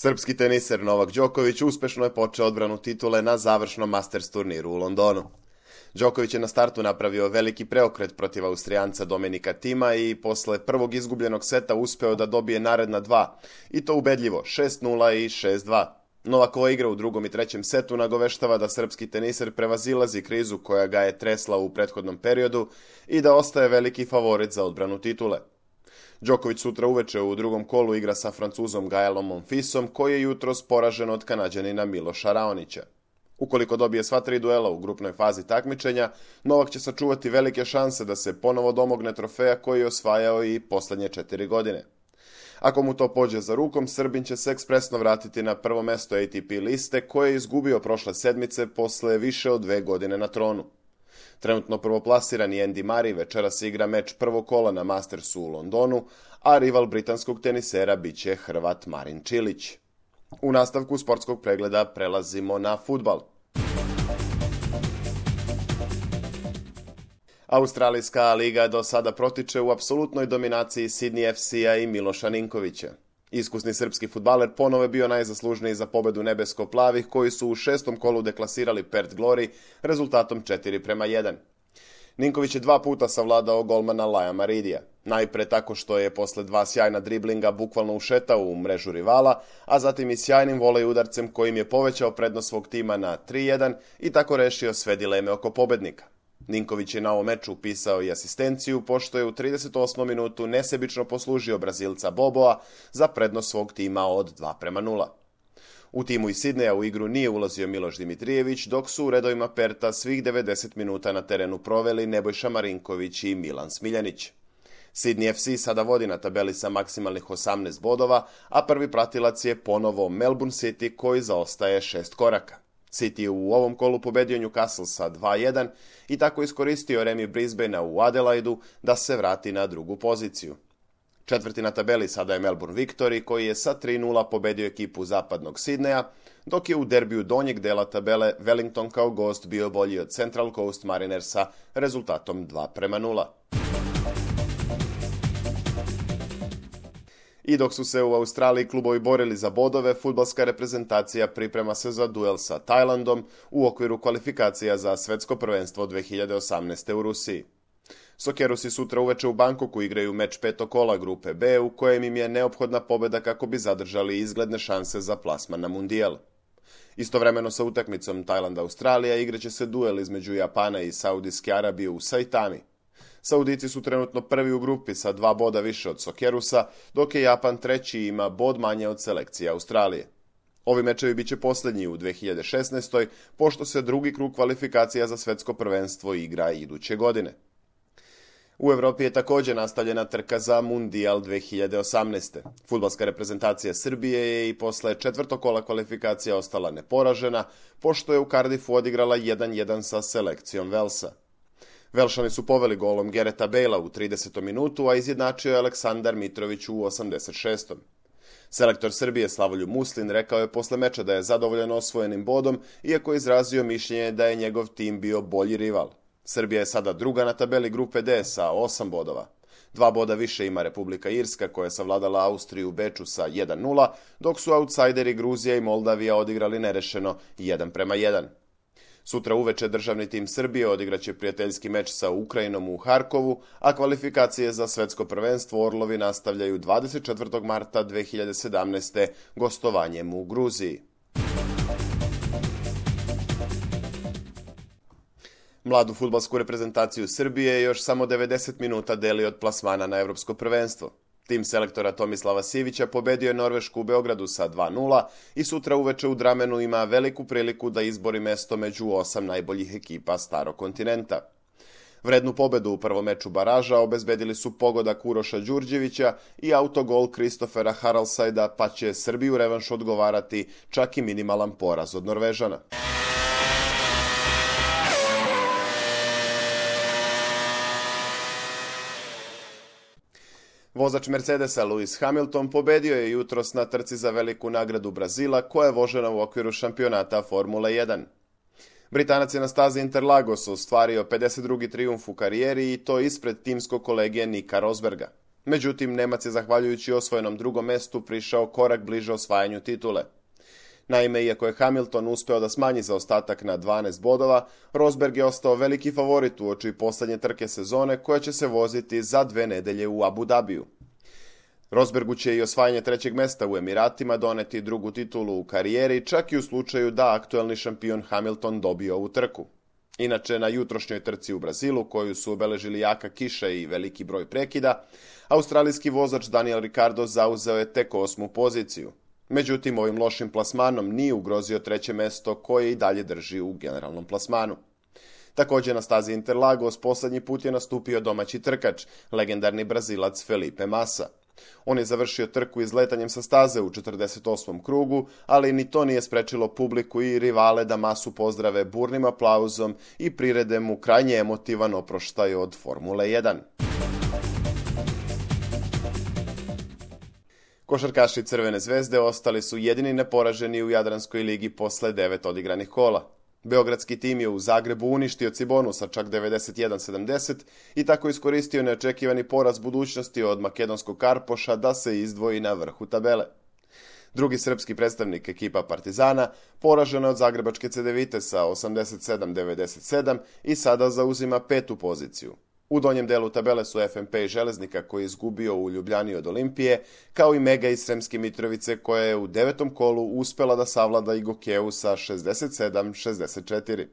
Srpski teniser Novak Đoković uspešno je počeo odbranu titule na završnom Masters turniru u Londonu. Đoković je na startu napravio veliki preokret protiv Austrijanca Dominika Thima i posle prvog izgubljenog seta uspeo da dobije naredna dva, i to ubedljivo 6-0 i 6-2. Novakova igra u drugom i trećem setu nagoveštava da srpski teniser prevazilazi krizu koja ga je tresla u prethodnom periodu i da ostaje veliki favorit za odbranu titule. Đoković sutra uveče u drugom kolu igra sa Francuzom Gaelom Monfisom, koji je jutros poražen od Kanađanina Miloša Raonića. Ukoliko dobije sva tri duela u grupnoj fazi takmičenja, Novak će sačuvati velike šanse da se ponovo domogne trofeja koji je osvajao i poslednje 4 godine. Ako mu to pođe za rukom, Srbin će se ekspresno vratiti na prvo mesto ATP liste koje je izgubio prošle sedmice posle više od 2 godine na tronu. Trenutno prvoplasirani Andy Murray večeras igra meč prvog kola na Mastersu u Londonu, a rival britanskog tenisera biće Hrvat Marin Čilić. U nastavku sportskog pregleda prelazimo na fudbal. Australijska liga do sada protiče u apsolutnoj dominaciji Sydney FC-a i Miloša Ninkovića. Iskusni srpski fudbaler ponovo je bio najzaslužniji za pobedu nebesko-plavih koji su u 6. kolu deklasirali Perth Glory rezultatom 4-1. Ninković je 2 puta savladao golmana Laja Maridija. Najpre tako što je posle 2 sjajna driblinga bukvalno ušetao u mrežu rivala, a zatim i sjajnim volej udarcem kojim je povećao prednost svog tima na 3-1 i tako rešio sve dileme oko pobednika. Ninković je na ovom meču upisao i asistenciju, pošto je u 38. minutu nesebično poslužio Brazilca Boboa za prednost svog tima od 2-0. U timu iz Sidneja u igru nije ulazio Miloš Dimitrijević, dok su u redovima Perta svih 90 minuta na terenu proveli Nebojša Marinković i Milan Smiljanić. Sydney FC sada vodi na tabeli sa maksimalnih 18 bodova, a prvi pratilac je ponovo Melbourne City koji zaostaje 6 koraka. City je u ovom kolu pobedio Newcastle sa 2-1 i tako iskoristio remi Brisbanea u Adelaidu da se vrati na drugu poziciju. Četvrti na tabeli sada je Melbourne Victory koji je sa 3-0 pobedio ekipu zapadnog Sidneja, dok je u derbiju donjeg dela tabele Wellington kao gost bio bolji od Central Coast Marinersa rezultatom 2-0. I dok su se u Australiji klubovi borili za bodove, fudbalska reprezentacija priprema se za duel sa Tajlandom u okviru kvalifikacija za svetsko prvenstvo 2018. u Rusiji. Sokerusi sutra uveče u Bangkoku igraju meč 5. kola grupe B u kojem im je neophodna pobeda kako bi zadržali izgledne šanse za plasman na mundijal. Istovremeno sa utakmicom Tajland-Australija igraće se duel između Japana i Saudijske Arabije u Saitami. Saudici su trenutno prvi u grupi sa 2 boda više od Sokerusa, dok je Japan treći i ima bod manje od selekcije Australije. Ovi mečevi biće posljednji u 2016. pošto se drugi krug kvalifikacija za svetsko prvenstvo igra iduće godine. U Evropi je također nastavljena trka za Mundijal 2018. Fudbalska reprezentacija Srbije je i posle 4. kola kvalifikacija ostala neporažena, pošto je u Cardiffu odigrala 1-1 sa selekcijom Velsa. Velšani su poveli golom Gareta Bale'a u 30. minutu, a izjednačio je Aleksandar Mitrović u 86. Selektor Srbije Slavoljub Muslin rekao je posle meča da je zadovoljan osvojenim bodom, iako je izrazio mišljenje da je njegov tim bio bolji rival. Srbija je sada druga na tabeli grupe D sa 8 bodova. 2 boda više ima Republika Irska koja je savladala Austriju u Beču sa 1-0, dok su autsajderi Gruzija i Moldavija odigrali nerešeno 1-1. Sutra uveče državni tim Srbije odigraće prijateljski meč sa Ukrajinom u Harkovu, a kvalifikacije za svetsko prvenstvo Orlovi nastavljaju 24. marta 2017. gostovanjem u Gruziji. Mladu fudbalsku reprezentaciju Srbije još samo 90 minuta deli od plasmana na evropsko prvenstvo. Tim selektora Tomislava Sivića pobedio je Norvešku u Beogradu sa 2-0 i sutra uveče u Dramenu ima veliku priliku da izbori mesto među 8 najboljih ekipa starog kontinenta. Vrednu pobedu u prvom meču baraža obezbedili su pogodak Uroša Đurđevića i autogol Kristofera Haraldsajda, pa će Srbiju revanš odgovarati čak i minimalan poraz od Norvežana. Vozač Mercedesa Lewis Hamilton pobedio je jutros na trci za veliku nagradu Brazila koja je vožena u okviru šampionata Formule 1. Britanac je na stazi Interlagos ostvario 52. trijumf u karijeri i to ispred timskog kolege Nika Rosberga. Međutim, Nemac je zahvaljujući osvojenom drugom mestu prišao korak bliže osvajanju titule. Naime, iako je Hamilton uspeo da smanji zaostatak na 12 bodova, Rosberg je ostao veliki favorit uoči poslednje trke sezone koja će se voziti za 2 nedelje u Abu Dhabiju. Rosbergu će i osvajanje 3. mesta u Emiratima doneti drugu titulu u karijeri, čak i u slučaju da aktuelni šampion Hamilton dobije ovu trku. Inače, na jutrošnjoj trci u Brazilu, koju su obeležili jaka kiša i veliki broj prekida, australijski vozač Daniel Ricciardo zauzeo je tek 8. poziciju. Međutim, ovim lošim plasmanom nije ugrozio 3. mesto koje i dalje drži u generalnom plasmanu. Također na stazi Interlagos poslednji put je nastupio domaći trkač, legendarni Brazilac Felipe Massa. On je završio trku izletanjem sa staze u 48. krugu, ali ni to nije sprečilo publiku i rivale da Massu pozdrave burnim aplauzom i prirede mu krajnje emotivan oproštaj od Formule 1. Košarkaši Crvene zvezde ostali su jedini neporaženi u Jadranskoj ligi posle 9 odigranih kola. Beogradski tim je u Zagrebu uništio Cibonu sa čak 91-70 i tako iskoristio neočekivani poraz budućnosti od makedonskog Karpoša da se izdvoji na vrhu tabele. Drugi srpski predstavnik, ekipa Partizana, poražena od zagrebačke Cedevite sa 87-97 i sada zauzima 5. poziciju. U donjem delu tabele su FNP i Železnika koji je izgubio u Ljubljani od Olimpije, kao i Mega iz Sremske Mitrovice koja je u 9. kolu uspela da savlada i Gokeju sa 67-64.